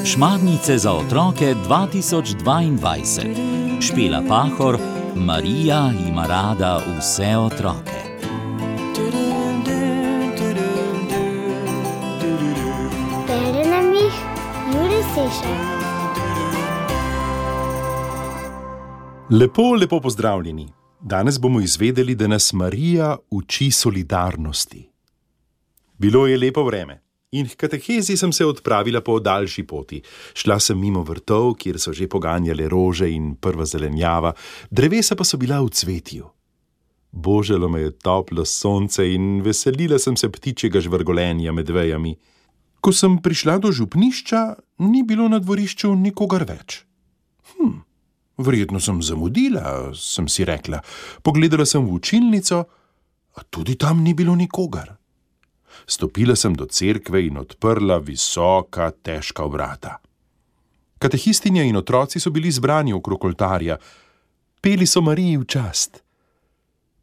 Šmarnice za otroke 2022. Špela Pahor, Marija ima rada vse otroke. Bere nam jih Jure Sešar. Lepo pozdravljeni. Danes bomo izvedeli, da nas Marija uči solidarnosti. Bilo je lepo vreme in h katehezi sem se odpravila po daljši poti. Šla sem mimo vrtov, kjer so že poganjale rože in prva zelenjava, drevesa pa so bila v cvetju. Božalo me je toplo sonce in veselila sem se ptičjega žvrgolenja med vejami. Ko sem prišla do župnišča, ni bilo na dvorišču nikogar več. Verjetno sem zamudila, sem si rekla. Pogledala sem v učilnico, a tudi tam ni bilo nikogar. Stopila sem do cerkve in odprla visoka, težka vrata. Katehistinja in otroci so bili zbrani okrog oltarja. Peli so Mariji v čast.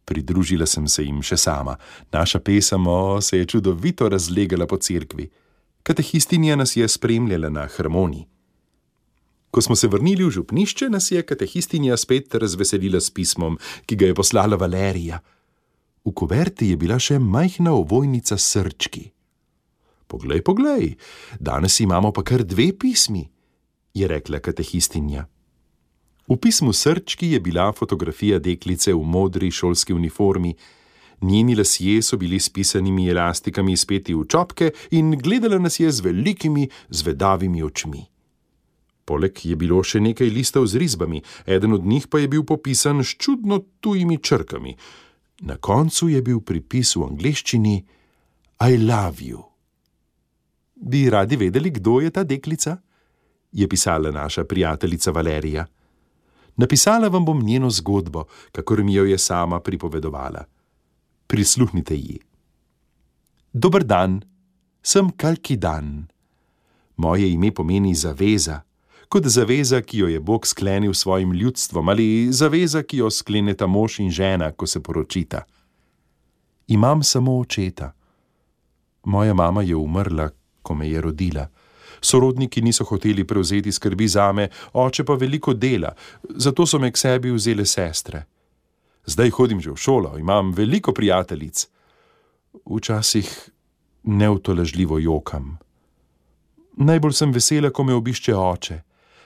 Pridružila sem se jim še sama. Naša pesem se je čudovito razlegala po cerkvi. Katehistinja nas je spremljala na harmoniji. Ko smo se vrnili v župnišče, nas je katehistinja spet razveselila s pismom, ki ga je poslala Valerija. V kuverti je bila še majhna ovojnica s srčki. Poglej, danes imamo pa kar 2 pismi, je rekla katehistinja. V pismu srčki je bila fotografija deklice v modri šolski uniformi. Njeni lasje so bili s pisanimi elastikami speti v čopke in gledala nas je z velikimi, zvedavimi očmi. Poleg je bilo še nekaj listov z risbami, eden od njih pa je bil popisan s čudno tujimi črkami. Na koncu je bil pripis v angleščini I love you. Bi radi vedeli, kdo je ta deklica? Je pisala naša prijateljica Valerija. Napisala vam bom njeno zgodbo, kakor mi jo je sama pripovedovala. Prisluhnite ji. Dober dan, sem Kalkidan. Moje ime pomeni zaveza, kot zaveza, ki jo je Bog sklenil svojim ljudstvom, ali zaveza, ki jo skleneta mož in žena, ko se poročita. Imam samo očeta. Moja mama je umrla, ko me je rodila. Sorodniki niso hoteli prevzeti skrbi zame, oče pa veliko dela, zato so me k sebi vzele sestre. Zdaj hodim že v šolo, imam veliko prijateljic. Včasih neutolažljivo jokam. Najbolj sem vesela, ko me obišče oče.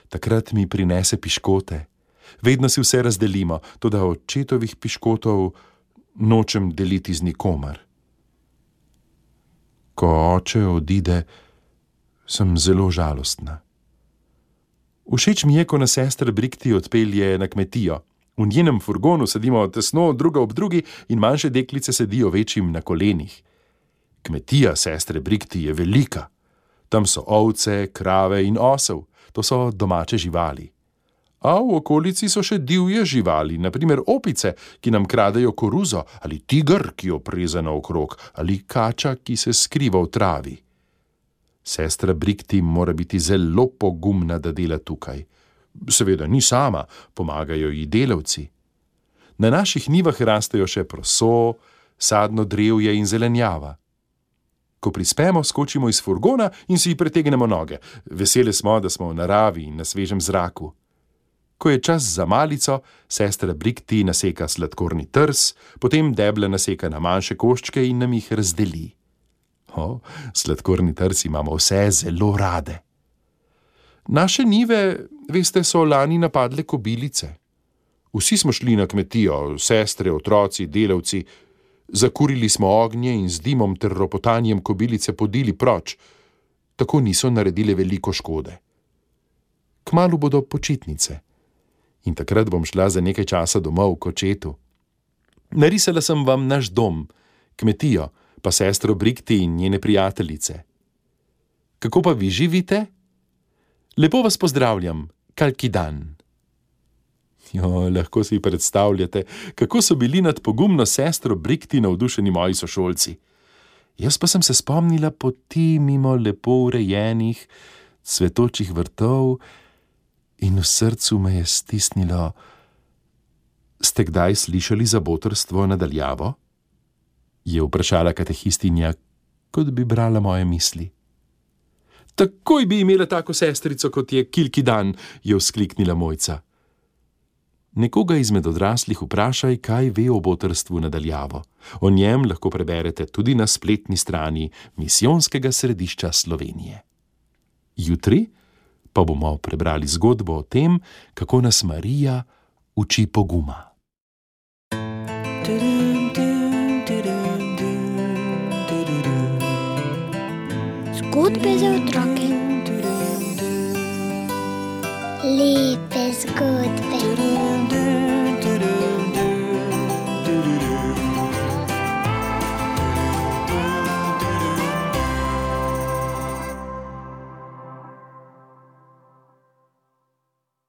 Takrat mi prinese piškote. Vedno si vse razdelimo, toda očetovih piškotov nočem deliti z nikomer. Ko oče odide, sem zelo žalostna. Všeč mi je, ko nas sestra Brikti odpelje na kmetijo. V njenem furgonu sedimo tesno druga ob drugi in manjše deklice sedijo večjim na kolenih. Kmetija sestre Brikti je velika. Tam so ovce, krave in osel. To so domače živali. A v okolici so še divje živali, na primer opice, ki nam kradejo koruzo, ali tiger, ki jo preze naokrog, ali kača, ki se skriva v travi. Sestra Brikti mora biti zelo pogumna, da dela tukaj. Seveda ni sama, pomagajo ji delavci. Na naših njivah rastejo še proso, sadno drevje in zelenjava. Ko prispemo, skočimo iz furgona in si pretegnemo noge. Vesele smo, da smo v naravi in na svežem zraku. Ko je čas za malico, sestra Brikti naseka sladkorni trs, potem deble naseka na manjše koščke in nam jih razdeli. Sladkorni trs imamo vse zelo rade. Naše njive, veste, so lani napadle kobilice. Vsi smo šli na kmetijo, sestre, otroci, delavci. Zakurili smo ognje in z dimom ter ropotanjem kobilice podili proč. Tako niso naredile veliko škode. Kmalu bodo počitnice. In takrat bom šla za nekaj časa domov k očetu. Narisala sem vam naš dom, kmetijo, pa sestro Brikti in njene prijateljice. Kako pa vi živite? Lepo vas pozdravljam, Kalkidan. Lahko si predstavljate, kako so bili nad pogumno sestro Brikti navdušeni moji sošolci. Jaz pa sem se spomnila poti mimo lepo urejenih, cvetočih vrtov in v srcu me je stisnilo. Ste kdaj slišali za botrstvo nadaljavo? Je vprašala katehistinja, kot bi brala moje misli. Takoj bi imela tako sestrico, kot je Kilkidan, je vzkliknila Mojca. Nekoga izmed odraslih vprašaj, kaj ve o botrstvu nadaljavo. O njem lahko preberete tudi na spletni strani Misijonskega središča Slovenije. Jutri pa bomo prebrali zgodbo o tem, kako nas Marija uči poguma. Zgodbe za otroke. Lepe zgodbe.